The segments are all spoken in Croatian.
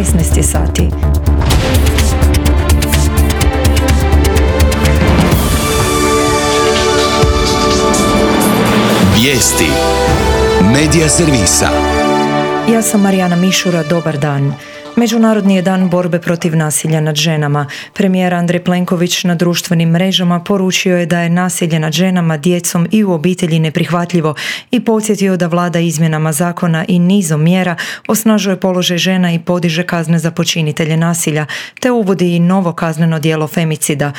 16 sati. Vijesti Medija servisa. Ja sam Marijana Mišura, dobar dan. Međunarodni je dan borbe protiv nasilja nad ženama. Premijer Andrej Plenković na društvenim mrežama poručio je da je nasilje nad ženama, djecom i u obitelji neprihvatljivo i podsjetio da vlada izmjenama zakona i nizom mjera osnažuje položaj žena i podiže kazne za počinitelje nasilja, te uvodi i novo kazneno djelo femicida.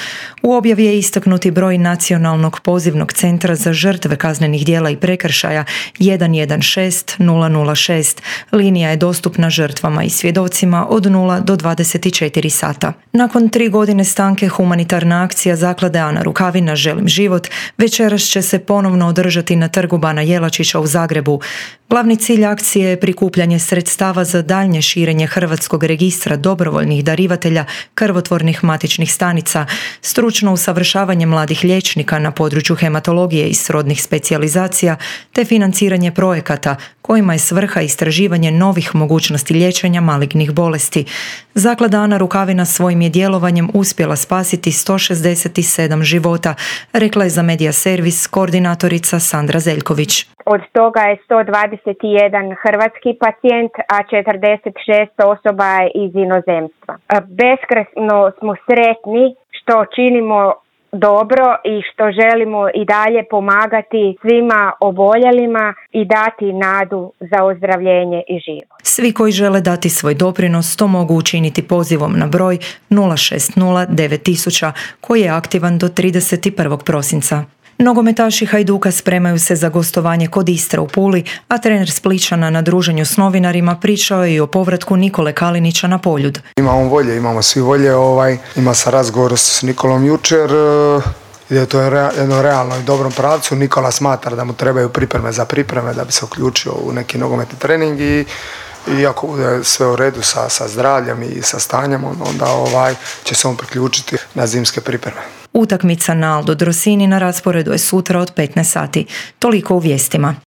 U objavi je istaknuti broj Nacionalnog pozivnog centra za žrtve kaznenih djela i prekršaja 116 006. Linija je dostupna žrtvama i svjedocima od 0 do 24 sata. Nakon 3 godine stanke humanitarna akcija Zaklade Ana Rukavina Želim život večeras će se ponovno održati na Trgu Bana Jelačića u Zagrebu. Glavni cilj akcije je prikupljanje sredstava za daljnje širenje Hrvatskog registra dobrovoljnih darivatelja krvotvornih matičnih stanica, stručno usavršavanje mladih liječnika na području hematologije i srodnih specijalizacija, te financiranje projekata kojima je svrha istraživanje novih mogućnosti liječenja malignih bolesti. Zaklada Ana Rukavina svojim je djelovanjem uspjela spasiti 167 života, rekla je za Medija servis koordinatorica Sandra Zeljković. Od toga je 121 hrvatski pacijent, a 46 osoba je iz inozemstva. Beskrajno smo sretni što činimo dobro i što želimo i dalje pomagati svima oboljelima i dati nadu za ozdravljenje i život. Svi koji žele dati svoj doprinos to mogu učiniti pozivom na broj 060 9000 koji je aktivan do 31. prosinca. Nogometaši Hajduka spremaju se za gostovanje kod Istra u Puli, a trener Splićana na druženju s novinarima pričao je i o povratku Nikole Kalinića na Poljud. Imamo volje, imamo svi volje, ima sam razgovor s Nikolom jučer, je to jedno realno i dobrom pravcu. Nikola smatra da mu trebaju pripreme da bi se uključio u neki nogometni trening i ako bude sve u redu sa zdravljem i sa stanjem, onda će se on priključiti na zimske pripreme. Utakmica na Aldo Drosini na rasporedu je sutra od 15 sati. Toliko u vijestima.